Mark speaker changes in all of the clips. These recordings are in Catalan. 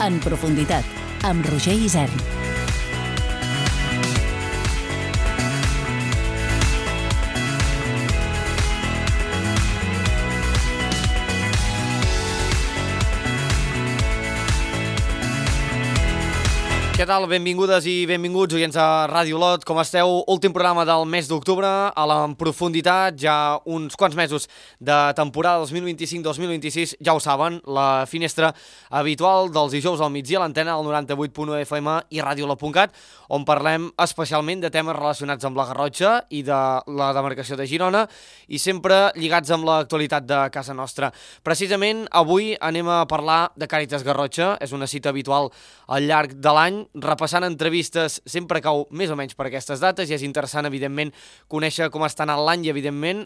Speaker 1: En profunditat, amb Roger Isern.
Speaker 2: Què tal? Benvingudes i benvinguts, oients de Ràdio Olot. Com esteu? Últim programa del mes d'octubre, a la profunditat, ja uns quants mesos de temporada 2025-2026. Ja ho saben, la finestra habitual dels dijous al migdia a l'antena del 98.1 FM i radiolot.cat, on parlem especialment de temes relacionats amb la Garrotxa i de la demarcació de Girona i sempre lligats amb l'actualitat de casa nostra. Precisament avui anem a parlar de Càritas Garrotxa. És una cita habitual al llarg de l'any, repassant entrevistes sempre cau més o menys per aquestes dates i és interessant, evidentment, conèixer com està anant l'any i, evidentment,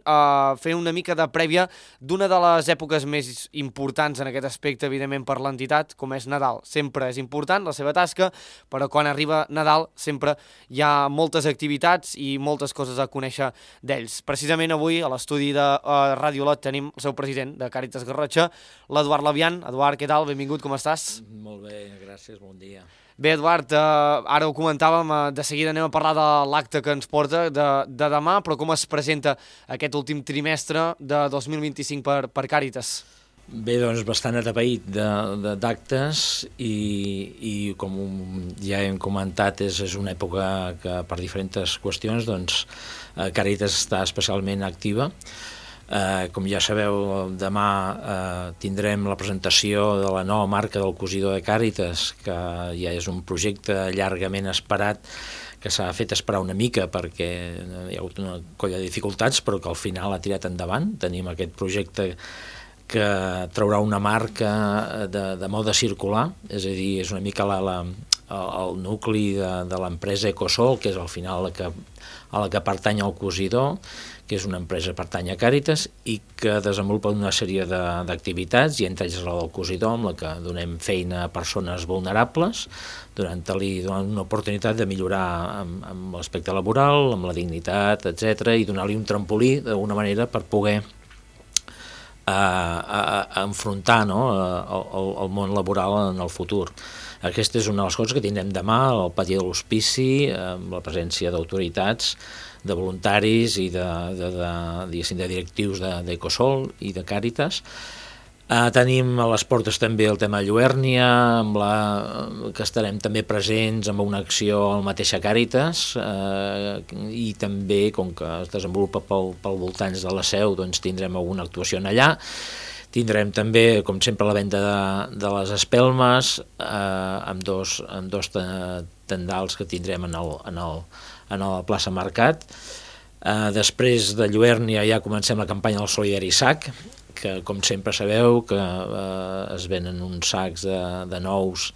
Speaker 2: fer una mica de prèvia d'una de les èpoques més importants en aquest aspecte, evidentment, per l'entitat, com és Nadal. Sempre és important la seva tasca, però quan arriba Nadal sempre hi ha moltes activitats i moltes coses a conèixer d'ells. Precisament avui, a l'estudi de Ràdio Olot, tenim el seu president de Càritas Garrotxa, l'Eduard Labian. Eduard, què tal? Benvingut, com estàs?
Speaker 3: Molt bé, gràcies, bon dia.
Speaker 2: Bé, Eduard, ara ho comentàvem, de seguida anem a parlar de l'acte que ens porta de demà, però com es presenta aquest últim trimestre de 2025 per Càritas?
Speaker 3: Bé, doncs bastant atapeït d'actes i com ja hem comentat, és una època que per diferents qüestions doncs, Càritas està especialment activa. Com ja sabeu, demà tindrem la presentació de la nova marca del cosidor de Càritas, que ja és un projecte llargament esperat, que s'ha fet esperar una mica perquè hi ha hagut una colla de dificultats, però que al final ha tirat endavant. Tenim aquest projecte que traurà una marca de mode circular, és a dir, és una mica el nucli de l'empresa Ecosol, que és al final a la que pertany el cosidor, que és una empresa que pertany a Càritas i que desenvolupa una sèrie d'activitats, i entre ells la del cosidor, amb la que donem feina a persones vulnerables, donant una oportunitat de millorar amb l'aspecte laboral, amb la dignitat, etc., i donar-li un trampolí d'alguna manera per poder enfrontar el món laboral en el futur. Aquesta és una de les coses que tindrem demà al pati de l'Hospici, amb la presència d'autoritats, de voluntaris i de directius d'Ecosol i de Càritas. Tenim a les portes també el tema de Lluèrnia, que estarem també presents amb una acció al mateixa Càritas, i també, com que es desenvolupa pel voltants de la Seu, doncs tindrem alguna actuació allà. Tindrem també, com sempre, la venda de les espelmes, amb dos tendals que tindrem a la plaça Mercat. Després de Lluèrnia ja comencem la campanya del Solidari Sac, que com sempre sabeu que es venen uns sacs de nous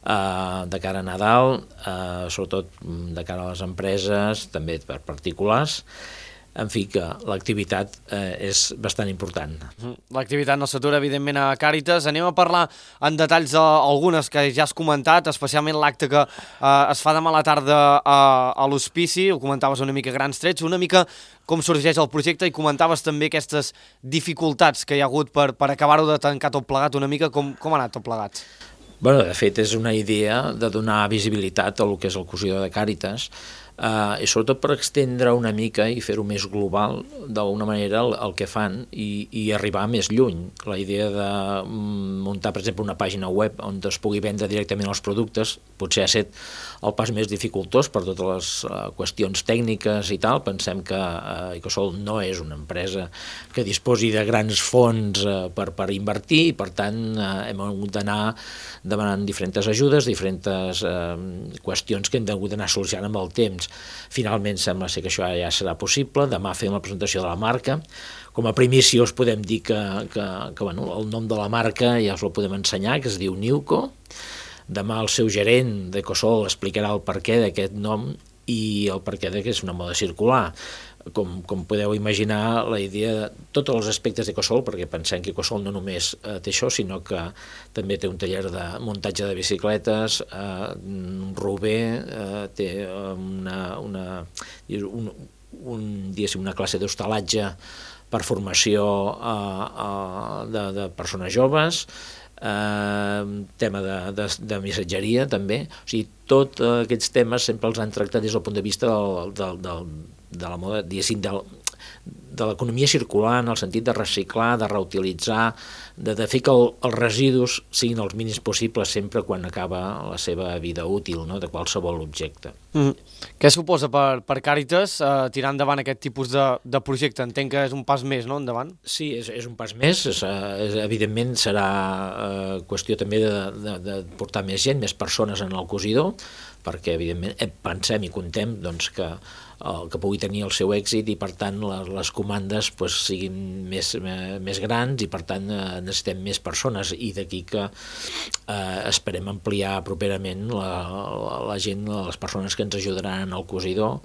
Speaker 3: de cara a Nadal, sobretot de cara a les empreses, també per particulars. En fi, que l'activitat és bastant important.
Speaker 2: L'activitat no s'atura, evidentment, a Càritas. Anem a parlar en detalls d'algunes que ja has comentat, especialment l'acte que es fa demà a la tarda a l'Hospici. Ho comentaves una mica grans trets, una mica com sorgeix el projecte, i comentaves també aquestes dificultats que hi ha hagut per acabar-ho de tancar tot plegat, una mica com ha anat tot plegat.
Speaker 3: Bé, de fet, és una idea de donar visibilitat a lo que és el cosidor de Càritas, i sobretot per estendre una mica i fer-ho més global d'alguna manera el que fan i arribar més lluny. La idea de muntar, per exemple, una pàgina web on es pugui vendre directament els productes potser ha estat el pas més dificultós per totes les qüestions tècniques i tal. Pensem que Ecosol no és una empresa que disposi de grans fons per invertir, i per tant hem hagut d'anar demanant diferents ajudes, diferents qüestions que hem hagut d'anar solucionant amb el temps. Finalment sembla ser que això ja serà possible. Demà fem la presentació de la marca. Com a primícia us podem dir que el nom de la marca ja us el podem ensenyar, que es diu Niuco. Demà el seu gerent d'Ecosol explicarà el perquè d'aquest nom i el perquè que és una moda circular. Com podeu imaginar, la idea de tots els aspectes d'Ecosol, perquè pensem que Ecosol no només té això, sinó que també té un taller de muntatge de bicicletes, Rober té una classe d'hostalatge per formació de persones joves, tema de missatgeria també, o sigui, tots aquests temes sempre els han tractat des del punt de vista de la moda, diguéssim, de l'economia circular, en el sentit de reciclar, de reutilitzar, de fer que els residus siguin els mínims possibles sempre quan acaba la seva vida útil, no?, de qualsevol objecte.
Speaker 2: Què suposa per Càritas tirar endavant aquest tipus de projecte? Entenc que és un pas més, no?, endavant?
Speaker 3: Sí, és un pas més. Evidentment serà qüestió també de portar més gent, més persones en el cosidor, perquè evidentment pensem i contem doncs, que pugui tenir el seu èxit i per tant les comandes doncs, siguin més grans i per tant necessitem més persones, i d'aquí que esperem ampliar properament la gent, les persones que ens ajudaran en el cosidor,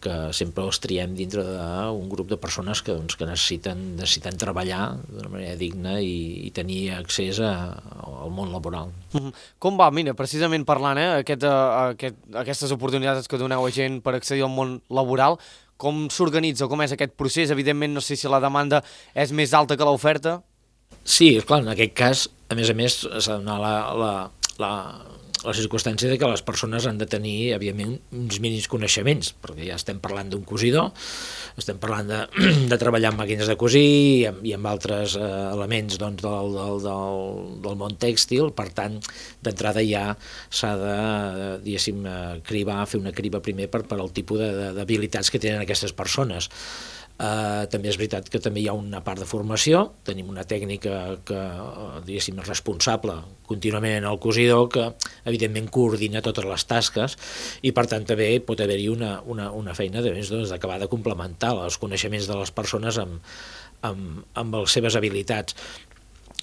Speaker 3: que sempre els triem dintre d'un grup de persones que necessiten treballar d'una manera digna i tenir accés al món laboral.
Speaker 2: Com va? Mira, precisament parlant, aquestes oportunitats que doneu a gent per accedir al món laboral, com s'organitza, com és aquest procés? Evidentment, no sé si la demanda és més alta que l'oferta.
Speaker 3: Sí, clar, en aquest cas, a més, s'ha de donar la circumstància de que les persones han de tenir, evidentment, uns mínims coneixements, perquè ja estem parlant d'un cosidor, estem parlant de treballar amb màquines de cosir i amb altres elements doncs, del món tèxtil. Per tant, d'entrada ja s'ha de, diguéssim, fer una criba primer per al tipus d'habilitats que tenen aquestes persones. També és veritat que també hi ha una part de formació, tenim una tècnica que, diguéssim, és responsable contínuament en el cosidor, que evidentment coordina totes les tasques, i per tant també pot haver-hi una feina d'acabar de complementar els coneixements de les persones amb les seves habilitats.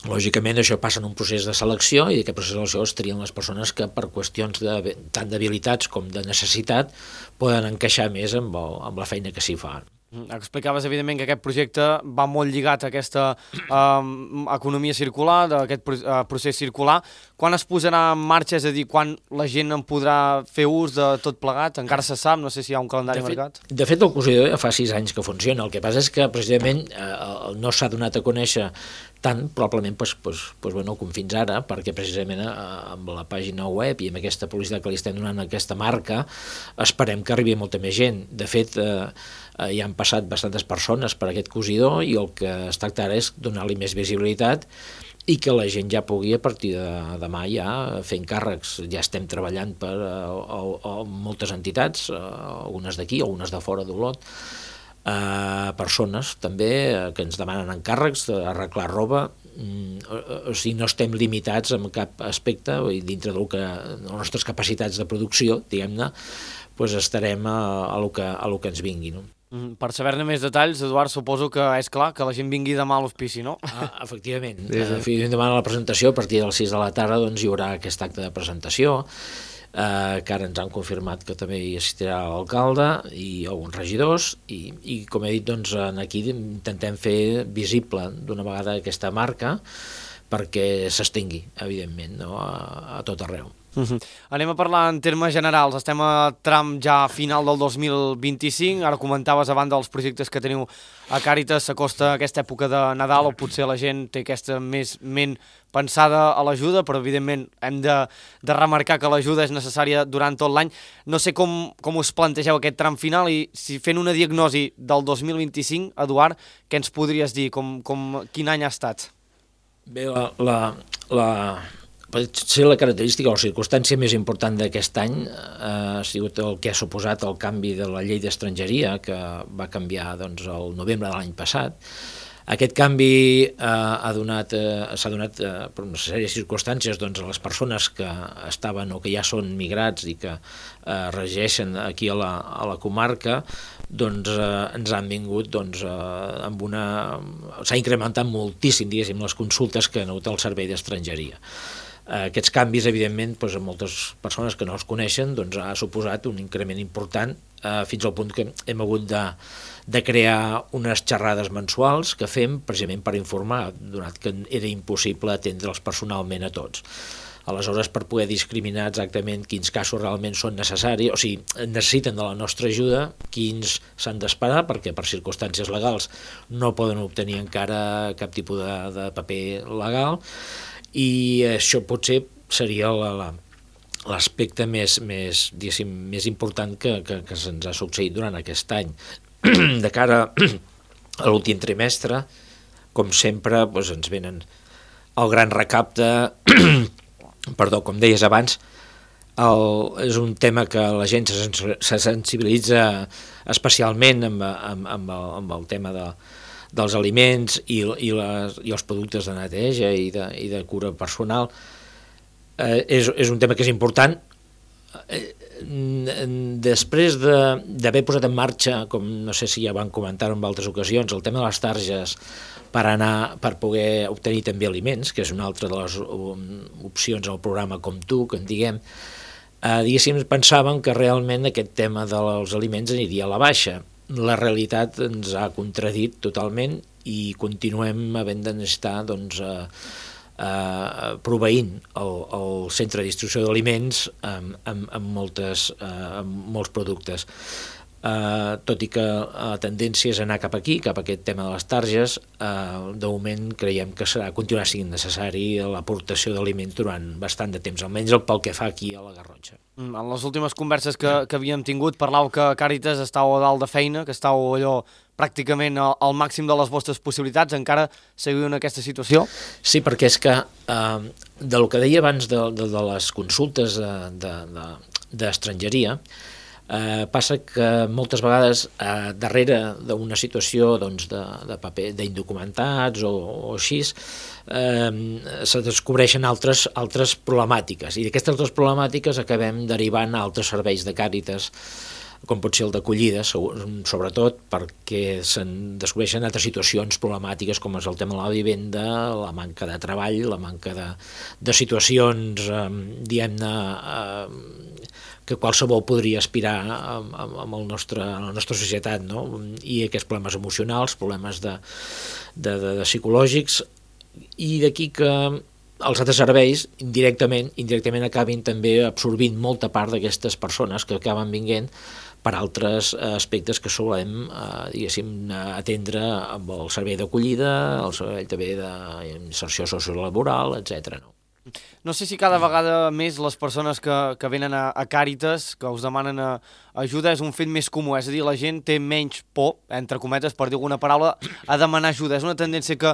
Speaker 3: Lògicament això passa en un procés de selecció, i d'aquest procés de selecció es trien les persones que per qüestions tant d'habilitats com de necessitat poden encaixar més amb la feina que s'hi fa.
Speaker 2: Explicaves, evidentment, que aquest projecte va molt lligat a aquesta economia circular, d'aquest procés circular. Quan es posarà en marxa, és a dir, quan la gent en podrà fer ús de tot plegat? Encara se sap, no sé si hi ha un calendari marcat.
Speaker 3: De fet, el cosidor ja fa 6 anys que funciona. El que passa és que, precisament, no s'ha donat a conèixer tant, probablement, com fins ara, perquè precisament amb la pàgina web i amb aquesta publicitat que li estem donant a aquesta marca, esperem que arribi molta més gent. De fet, ja han passat bastantes persones per aquest cosidor i el que es tracta ara és donar-li més visibilitat i que la gent ja pugui a partir de demà ja fer encàrrecs. Ja estem treballant per moltes entitats, algunes d'aquí, algunes de fora d'Olot, persones també que ens demanen encàrrecs d'arreglar roba. O sigui, no estem limitats en cap aspecte, dintre de les nostres capacitats de producció, diguem-ne, doncs estarem a lo que ens vingui, no?
Speaker 2: Per saber-ne més detalls, Eduard, suposo que és clar que la gent vingui demà a l'hospici, no?
Speaker 3: Efectivament. Demà a la presentació, a partir de les 6 de la tarda, doncs, hi haurà aquest acte de presentació, que ara ens han confirmat que també hi assistirà l'alcalde i alguns regidors, i com he dit, doncs, aquí intentem fer visible d'una vegada aquesta marca perquè s'estengui, evidentment, no? A tot arreu.
Speaker 2: Anem a parlar en termes generals. Estem a tram ja final del 2025. Ara comentaves, a banda dels projectes que teniu a Càritas, s'acosta aquesta època de Nadal, o potser la gent té aquesta més ment pensada a l'ajuda, però evidentment hem de remarcar que l'ajuda és necessària durant tot l'any. No sé com us plantegeu aquest tram final, i si fent una diagnosi del 2025, Eduard, què ens podries dir? Quin any ha estat?
Speaker 3: Bé, potser la característica o la circumstància més important d'aquest any ha sigut el que ha suposat el canvi de la llei d'estrangeria, que va canviar doncs, el novembre de l'any passat. Aquest canvi s'ha donat per una sèrie de circumstàncies doncs, a les persones que estaven o que ja són migrats i que resideixen aquí a la comarca, doncs ens han vingut s'ha incrementat moltíssim, diguéssim, les consultes que han hagut al servei d'estrangeria. Aquests canvis, evidentment, doncs, a moltes persones que no els coneixen, doncs, ha suposat un increment important, fins al punt que hem hagut de crear unes xerrades mensuals que fem precisament per informar, donat que era impossible atendre'ls personalment a tots. Aleshores, per poder discriminar exactament quins casos realment són necessaris, o sigui, necessiten de la nostra ajuda, quins s'han d'esperar, perquè per circumstàncies legals no poden obtenir encara cap tipus de paper legal, I això potser seria l'aspecte més important que se'ns ha succeït durant aquest any. De cara a l'últim trimestre, com sempre, doncs ens venen el gran recapte, perdó, com deies abans, és un tema que la gent se sensibilitza especialment amb el tema dels aliments i els productes de neteja i de cura personal. És un tema que és important. Després d'haver posat en marxa, com no sé si ja van comentar en altres ocasions, el tema de les targes per poder obtenir també aliments, que és una altra de les opcions al programa Com Tu, que en diguem, diguéssim, pensàvem que realment aquest tema dels aliments aniria a la baixa. La realitat ens ha contradit totalment i continuem havent de necessitar proveint el centre de distribució d'aliments amb molts productes. Tot i que la tendència és anar cap aquí, cap a aquest tema de les targes, de moment creiem que continuarà sent necessari l'aportació d'aliments durant bastant de temps, almenys pel que fa aquí a la Garrotxa.
Speaker 2: En les últimes converses que havíem tingut parlàveu que Càritas estàu a dalt de feina, que estàu allò pràcticament al màxim de les vostres possibilitats. Encara seguiu en aquesta situació?
Speaker 3: Sí, perquè és que del que deia abans de les consultes d'estrangeria, passa que moltes vegades darrere d'una situació de paper d'indocumentats o així se descobreixen altres problemàtiques, i d'aquestes altres problemàtiques acabem derivant a altres serveis de Càritas, com pot ser el d'acollida, sobretot perquè se'n descobreixen altres situacions problemàtiques, com és el tema de la vivenda, la manca de treball, la manca de situacions, diguem-ne, que qualsevol podria aspirar a la nostra societat, no? I aquests problemes emocionals, problemes de psicològics, i d'aquí que els altres serveis indirectament acabin també absorbint molta part d'aquestes persones que acaben vinguent per altres aspectes que solem, diguéssim, atendre amb el servei d'acollida, el servei també d'inserció sociolaboral, etc.
Speaker 2: No sé si cada vegada més les persones que venen a Càritas, que us demanen ajuda, és un fet més comú, és a dir, la gent té menys por, entre cometes, per dir alguna paraula, a demanar ajuda. És una tendència que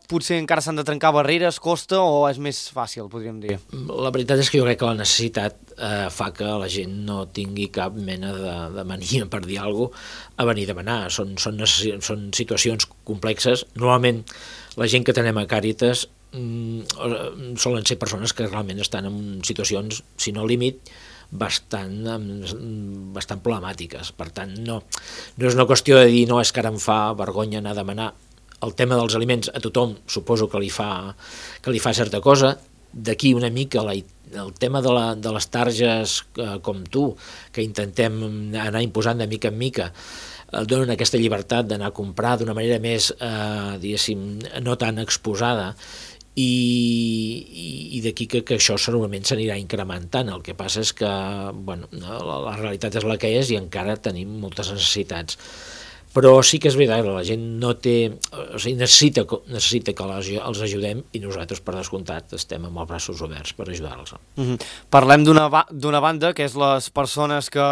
Speaker 2: potser encara s'han de trencar barreres, costa, o és més fàcil, podríem dir?
Speaker 3: La veritat és que jo crec que la necessitat fa que la gent no tingui cap mena de mania, per dir alguna cosa, a venir a demanar. Són situacions complexes. Normalment la gent que tenem a Càritas solen ser persones que realment estan en situacions, si no límit, bastant problemàtiques. Per tant, no és una qüestió de dir no, és que ara em fa vergonya anar a demanar. El tema dels aliments a tothom suposo que li fa certa cosa. D'aquí una mica el tema de les targes Com Tu, que intentem anar imposant de mica en mica, donen aquesta llibertat d'anar a comprar d'una manera més, diguéssim, no tan exposada, i d'aquí que això segurament s'anirà incrementant. El que passa és que la realitat és la que és i encara tenim moltes necessitats. Però sí que és veritat que la gent no té, o sigui, necessita que els ajudem, i nosaltres, per descomptat, estem amb els braços oberts per ajudar-los.
Speaker 2: Parlem d'una banda, que és les persones que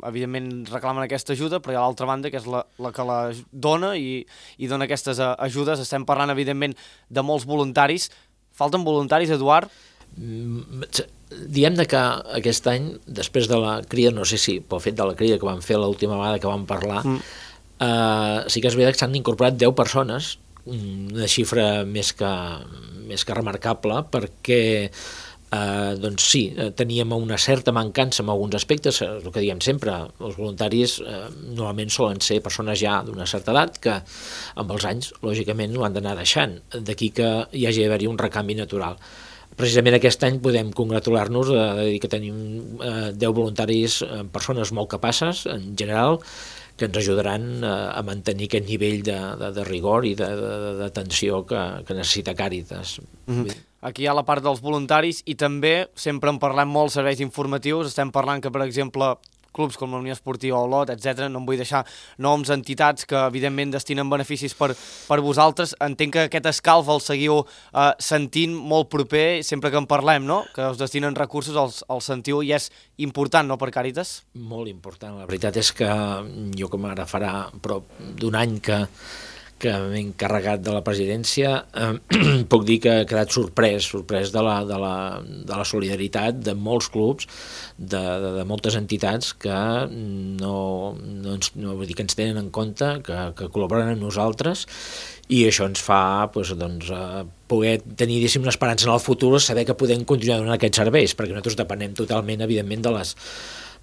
Speaker 2: evidentment reclamen aquesta ajuda, però hi ha l'altra banda, que és la que la dona i dona aquestes ajudes. Estem parlant, evidentment, de molts voluntaris. Falten voluntaris, Eduard?
Speaker 3: Diem que aquest any, després de la crida, no sé si pel fet de la crida que vam fer l'última vegada que vam parlar, sí que és veritat que s'han incorporat 10 persones, una xifra més que remarcable, perquè doncs sí, teníem una certa mancança en alguns aspectes. El que diem sempre, els voluntaris normalment solen ser persones ja d'una certa edat que amb els anys, lògicament, ho han d'anar deixant, d'aquí que hi hagi d'haver-hi un recanvi natural. Precisament aquest any podem congratular-nos de dir que tenim 10 voluntaris, persones molt capaces, en general, que ens ajudaran a mantenir aquest nivell de rigor i d'atenció que necessita Càritas.
Speaker 2: Aquí hi ha la part dels voluntaris i també sempre en parlem molt serveis informatius. Estem parlant que, per exemple, clubs com la Unió Esportiva Olot, etc. No em vull deixar noms, entitats que evidentment destinen beneficis per vosaltres. Entenc que aquest escalf el seguiu sentint molt proper sempre que en parlem, no? Que us destinen recursos, els sentiu i és important, no, per Càritas?
Speaker 3: Molt important. La veritat és que jo, com ara farà prop d'un any que m'he encarregat de la presidència, puc dir que he quedat sorprès de la solidaritat de molts clubs, de moltes entitats que no vull dir que ens tenen en compte, que col·laboren amb nosaltres, i això ens fa poder tenir, diguéssim, una esperança en el futur, saber que podem continuar donant aquests serveis, perquè nosaltres depenem totalment, evidentment,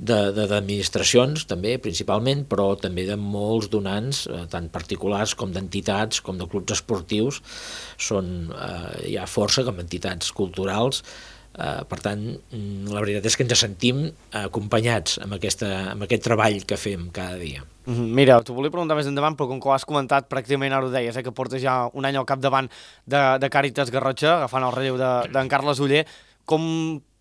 Speaker 3: d'administracions també, principalment, però també de molts donants, tant particulars com d'entitats, com de clubs esportius, hi ha força com entitats culturals. Per tant, la veritat és que ens sentim acompanyats amb aquest treball que fem cada dia.
Speaker 2: Mira, t'ho volia preguntar més endavant, però com que ho has comentat, pràcticament ara ho deies, que portes ja un any al capdavant de Càritas Garrotxa, agafant el relleu d'en Carles Oller. Com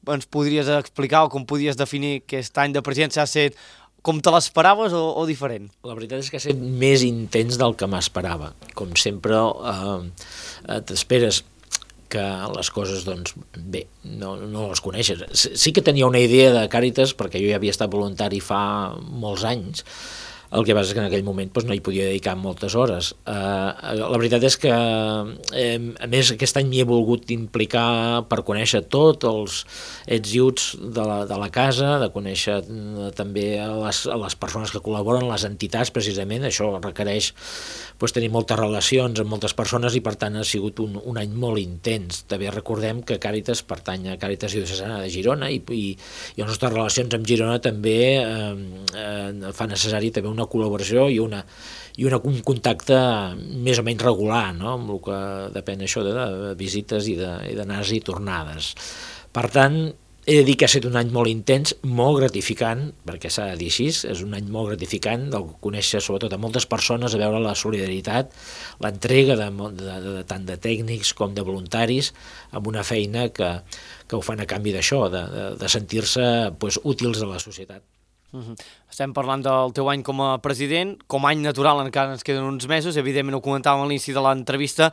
Speaker 2: ens podries explicar o com podries definir aquest any de presidència? Ha estat com te l'esperaves o diferent?
Speaker 3: La veritat és que ha estat més intens del que m'esperava. Com sempre, t'esperes que les coses, doncs, bé, no les coneixes. Sí que tenia una idea de Càritas, perquè jo ja havia estat voluntari fa molts anys. El que passa és que en aquell moment no hi podia dedicar moltes hores. La veritat és que, a més, aquest any m'hi he volgut implicar per conèixer tots els ets i uts de la casa, de conèixer també a les persones que col·laboren, les entitats, precisament. Això requereix tenir moltes relacions amb moltes persones i, per tant, ha sigut un any molt intens. També recordem que Càritas pertany a Càritas Diocesana de Girona i les nostres relacions amb Girona també fa necessari també una col·laboració i un contacte més o menys regular, no? Amb el que depèn això de visites i d'anades i tornades. Per tant, he de dir que ha estat un any molt intens, molt gratificant, perquè s'ha de dir així, és un any molt gratificant, de conèixer sobretot a moltes persones, a veure la solidaritat, l'entrega tant de tècnics com de voluntaris, amb una feina que ho fan a canvi d'això, de sentir-se útils a la societat.
Speaker 2: Estem parlant del teu any com a president, com a any natural encara ens queden uns mesos, evidentment ho comentàvem a l'inici de l'entrevista,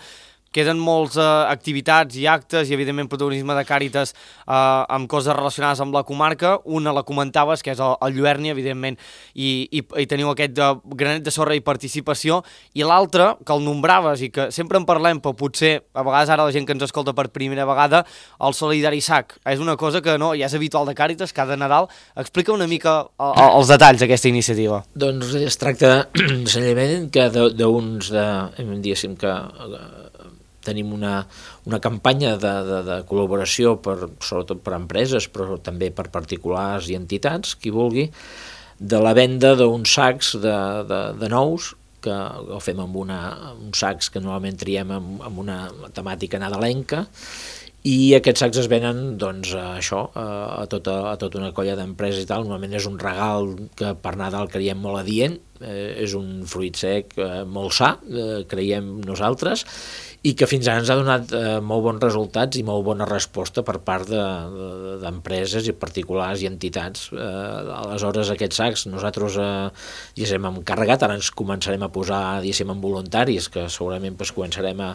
Speaker 2: queden moltes activitats i actes i evidentment protagonisme de Càritas amb coses relacionades amb la comarca. Una la comentaves, que és el Lluerni, evidentment, i teniu aquest granet de sorra i participació, i l'altre, que el nombraves i que sempre en parlem, però potser a vegades ara la gent que ens escolta per primera vegada, el Solidari Sac. És una cosa que no, ja és habitual de Càritas, cada Nadal. Explica una mica els detalls d'aquesta iniciativa.
Speaker 3: Doncs es tracta senzillament que diguéssim que tenim una campanya de col·laboració sobretot per empreses, però també per particulars i entitats, qui vulgui, de la venda d'uns sacs de nous, que ho fem amb uns sacs que normalment triem amb una temàtica nadalenca, i aquests sacs es venen a tota una colla d'empreses i tal. Normalment és un regal que per Nadal creiem molt adient, és un fruit sec molt sa, creiem nosaltres, i que fins ara ens ha donat molt bons resultats i molt bona resposta per part d'empreses i particulars i entitats. Aleshores, aquests sacs nosaltres ja hem encarregat, ara ens començarem a posar amb voluntaris, que segurament començarem a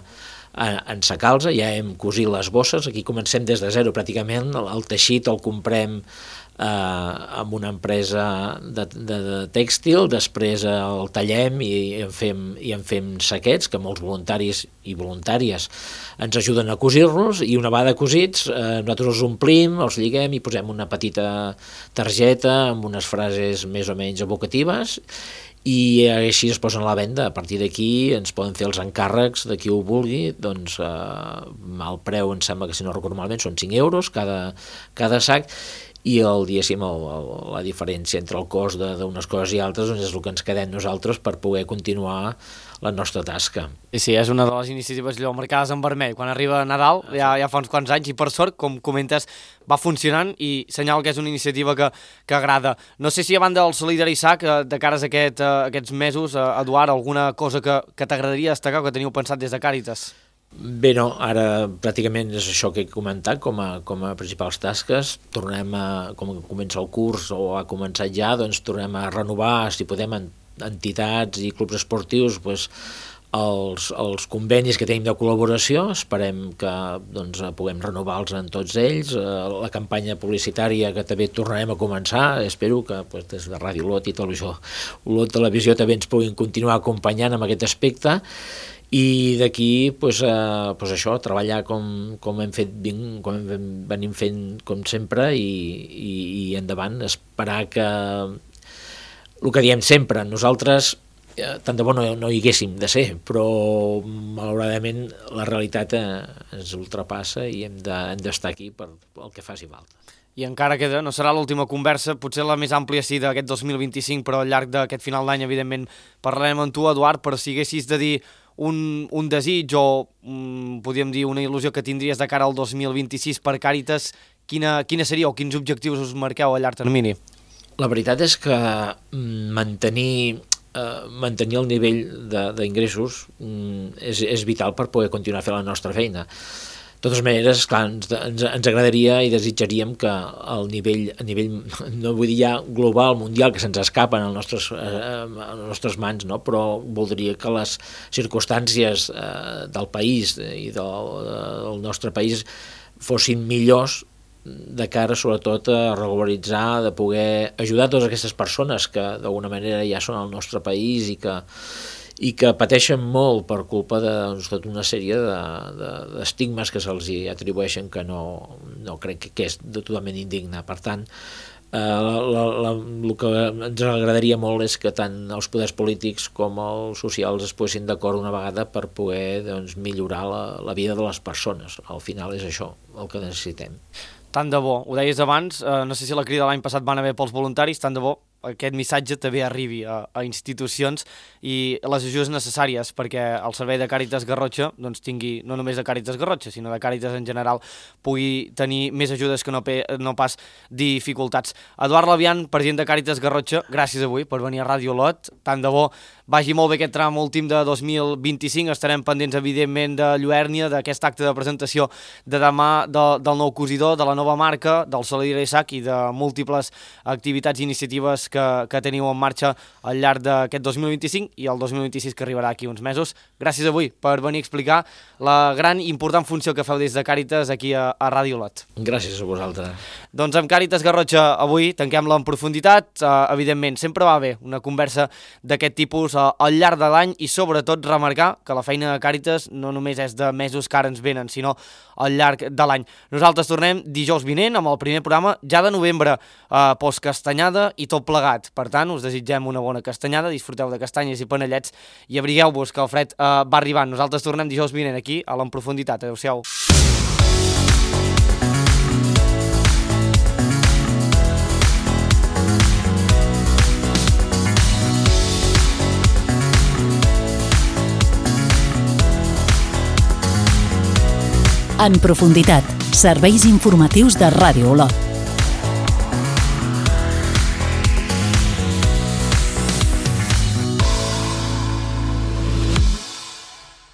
Speaker 3: ensacar-los, ja hem cosit les bosses, aquí comencem des de zero pràcticament, el teixit el comprem amb una empresa de tèxtil, després el tallem i en fem saquets que molts voluntaris i voluntàries ens ajuden a cosir-los, i una vegada cosits nosaltres els omplim, els lliguem i posem una petita targeta amb unes frases més o menys evocatives, i així es posen a la venda. A partir d'aquí ens poden fer els encàrrecs de qui ho vulgui, doncs el preu em sembla que, si no recordo malament, són 5 euros cada sac, i la diferència entre el cost d'unes coses i altres és el que ens quedem nosaltres per poder continuar la nostra tasca.
Speaker 2: Sí, és una de les iniciatives marcades en vermell. Quan arriba Nadal, ja fa uns quants anys, i per sort, com comentes, va funcionant i senyal que és una iniciativa que agrada. No sé si a banda del Solidari Sac, de cares a aquests mesos, Eduard, alguna cosa que t'agradaria destacar o que teniu pensat des de Càritas?
Speaker 3: Bé, no, ara pràcticament és això que he comentat com a principals tasques. Tornem com comença el curs o ha començat ja, doncs tornem a renovar, si podem, entitats i clubs esportius, doncs, els convenis que tenim de col·laboració. Esperem que doncs, puguem renovar-los en tots ells. La campanya publicitària que també tornarem a començar, espero que doncs, des de Ràdio Olot i Olot Televisió també ens puguin continuar acompanyant en aquest aspecte. I d'aquí doncs, això, treballar com hem fet, com venim fent com sempre i endavant, esperar que el que diem sempre, nosaltres tant de bo no hi haguéssim de ser, però malauradament la realitat ens ultrapassa i hem d'estar aquí per el que faci falta.
Speaker 2: I encara queda, no serà l'última conversa, potser la més àmplia sí d'aquest 2025, però al llarg d'aquest final d'any, evidentment, parlarem amb tu, Eduard, però si haguessis de dir un desig o, podríem dir, una il·lusió que tindries de cara al 2026 per Càritas, quina seria o quins objectius us marqueu a llarg termini?
Speaker 3: La veritat és que mantenir el nivell d'ingressos és vital per poder continuar fent la nostra feina. De totes maneres, clar, ens agradaria i desitjaríem que el nivell, no vull dir ja global, mundial, que se'ns escapen a les nostres mans, no? Però voldria que les circumstàncies del país i del nostre país fossin millors de cara sobretot a regularitzar, de poder ajudar totes aquestes persones que d'alguna manera ja són al nostre país i que pateixen molt per culpa de tota una sèrie d'estigmes que se'ls atribueixen que no crec que és totalment indigne. Per tant, el que ens agradaria molt és que tant els poders polítics com els socials es posessin d'acord una vegada per poder millorar la vida de les persones. Al final és això el que necessitem.
Speaker 2: Tant de bo, ho deies abans, no sé si la crida l'any passat van haver pels voluntaris, tant de bo aquest missatge també arribi a institucions i les ajudes necessàries perquè el servei de Càritas Garrotxa doncs tingui, no només de Càritas Garrotxa, sinó de Càritas en general, pugui tenir més ajudes que no pas dificultats. Eduard Labian, president de Càritas Garrotxa, gràcies avui per venir a Ràdio Olot. Tant de bo vagi molt bé aquest tram últim de 2025. Estarem pendents, evidentment, de Lluèrnia, d'aquest acte de presentació de demà del nou cosidor, de la nova marca, del Saladier Sac i de múltiples activitats i iniciatives que teniu en marxa al llarg d'aquest 2025 i el 2026 que arribarà aquí uns mesos. Gràcies avui per venir a explicar la gran i important funció que feu des de Càritas aquí a Ràdio Olot.
Speaker 3: Gràcies a vosaltres.
Speaker 2: Doncs amb Càritas Garrotxa avui tanquem-la en profunditat. Evidentment, sempre va bé una conversa d'aquest tipus al llarg de l'any i sobretot remarcar que la feina de Càritas no només és de mesos que ara ens venen, sinó al llarg de l'any. Nosaltres tornem dijous vinent amb el primer programa ja de novembre, postcastanyada i tot plegat. Per tant, us desitgem una bona castanyada, disfruteu de castanyes i panellets i abrigueu-vos que el fred va arribant. Nosaltres tornem dijous vinent aquí a l'En Profunditat. Adéu-siau.
Speaker 1: En Profunditat, serveis informatius de Ràdio Olot.